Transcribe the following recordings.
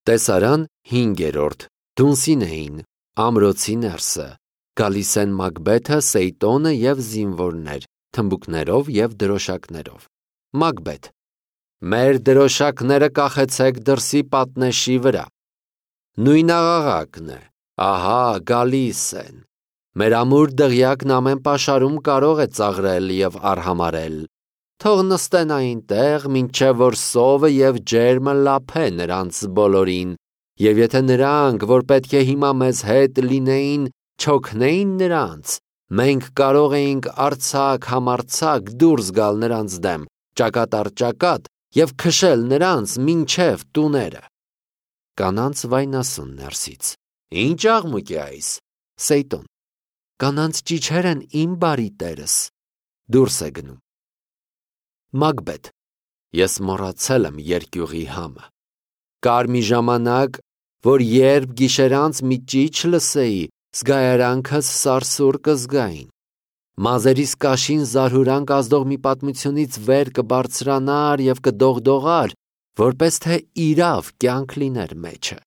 Տեսարան 5-րդ Դունսին էին, ամրոցի ներսը, գալիս են Մակբեթը, Սեյտոնը և զինվորներ, թմբուկներով և դրոշակներով։ Մակբեթ. մեր դրոշակները կախեցեք դրսի պատնեշի վրա։ Նույն աղաղակն է, ահա գալիս են։ Մեր ամուր դղյակն ամեն պաշարում կարող է ծաղրել և արհամարել։ Թող նստեն այնտեղ, մինչև որ սովը և ջերմը լափե նրանց բոլորին, և եթե նրանք, որ պետք է հիմա մեզ հետ լինեին, չօգնեին նրանց, մենք կարող էինք արձակ համարձակ դուրս գալ նրանց դեմ, ճակատ առ ճակատ և քշել նրանց մինչև տուները։ Կանանց վայնասուն ներսից. Ինչ աղմուկ է այս։ Սեյտոն. կանանց ճիչեր են իմ բարի տերս։ Դուրս է գնում։ Մակբեթ. ես մոռացել եմ երկյուղի համը։ Կար մի ժամանակ, որ երբ գիշերանց մի ճիչ լսեի, զգայարանքս սարսուռ կզգային։ Մազերիս կաշին զարհուրանք ազդող մի պատմությունից վեր կբարձրանար և կդողդողար, որպես թե իրավ կյանք լիներ մեջը։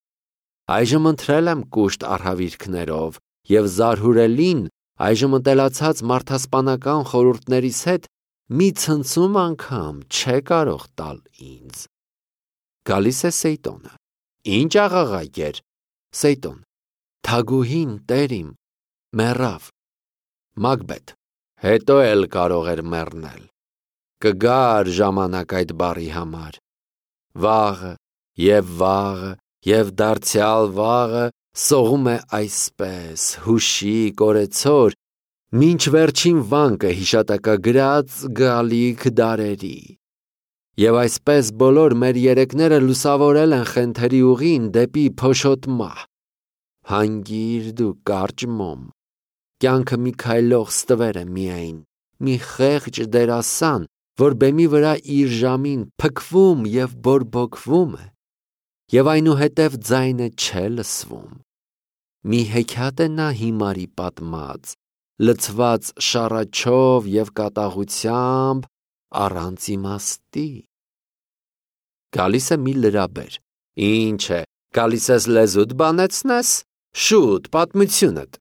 Այժմ ընթրել եմ կուշտ արհավիրքներով և զարհուրելին այժմ ընտելացած մարդասպանական խորհուրդներիս հետ մի ցնցում անգամ չէ կարող տալ ինձ։ Գալիս է Սեյտոնը. Ինչ աղաղակ էր։ Սեյտոն. թագուհին տեր իմ մեռավ։ Մակբեթ. հետո էլ կարող էր մեռնել։ Կգար ժամանակ այդ բառի համար։ Վաղը և դարձյալ վաղը սողում է այսպես, հուշիկ, օրեցօր, մինչ վերջին վանկը հիշատակագրած գալիք դարերի։ Եվ այսպես բոլոր մեր երեկները լուսավորել են խենթերի ուղին դեպի փոշոտ մահ։ Հանգիր դու կարճ մոմ, կյանքը մի քայլող ստվեր է միայն, մի խեղճ դերասան, որ բեմի վրա իր ժամին փքվում և բորբոքվում է, և այնուհետև ձայնը չէ լսվում։ Մի հեքիաթ է նա հիմարի պատմած, լցված շառաչով և կատաղությամբ, առանց իմաստի։ Գալիս է մի լրաբեր. Ինչ է, գալիս ես լեզուդ բանեցնես, շուտ պատմությունդ։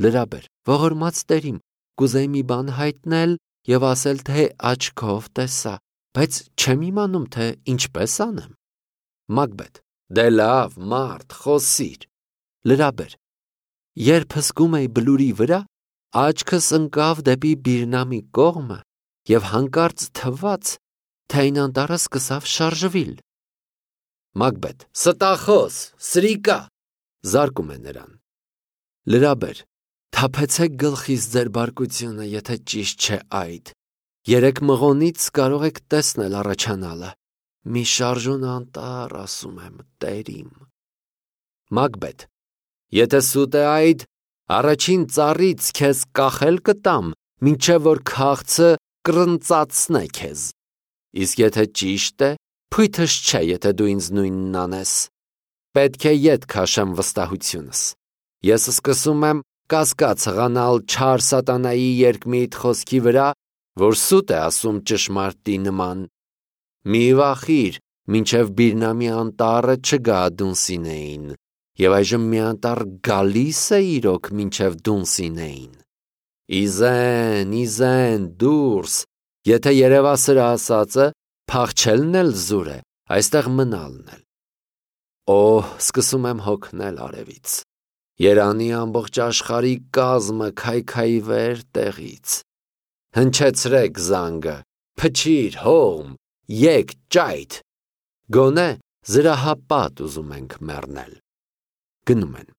Լրաբեր. ողորմած տերիմ, կուզեի մի բան հայտնել և ասել, թե աչքով տեսա, բայց չեմ իմանում, թե ինչպես անեմ։ Մակբեթ. դե լավ, մարդ, խոսիր։ Լրաբեր. երբ հսկում էի բլուրի վրա, աչքս ընկավ դեպի Բիրնամի կողմը և հանկարծ թվաց, թե այն անտառը սկսավ շարժվիլ։ Մակբեթ. ստախոս, սրիկա, զարկում է նրան։ Լրաբեր. թափեցեք գլխիս ձեր բարկությունը, եթե ճիշտ չէ այդ։ Երեք մղոնից կարող եք տեսնել առաջանալը։ Մի շարժուն անտառ, ասում եմ, տերիմ։ Մակբեթ. եթե սուտ է այդ, առաջին ծառից քեզ կախել կտամ, մինչև որ քաղցը կռնծացնե քեզ։ Իսկ եթե ճիշտ է, փույթս չէ, եթե դու ինձ նույնն անես։ Պետք է ետ քաշեմ վստահությունս։ Ես սկսում եմ կասկած հղանալ չար սատանայի երկմիտ խոսքի վրա, որ սուտ է ասում ճշմարտի նման։ Մի վախիր, մինչև Բիրնամի անտառը չգա Դունսինեին, և այժմ մի անտառ գալիս է իրոք մինչև Դունսինեին։ Իզեն, դուրս, եթե երևասրը ասածը, փախչելն էլ զուր է, այստեղ մնալն էլ։ Օհ, սկսում եմ հոգնել արևից։ Երանի ամբողջ աշխարհի կազմը քայքայվեր տեղից։ Հնչեցրեք զանգը, փչիր, հողմ, եկ ճայթ։ Գոնե զրահապատ ուզում ենք մեռնել։ Գնում են։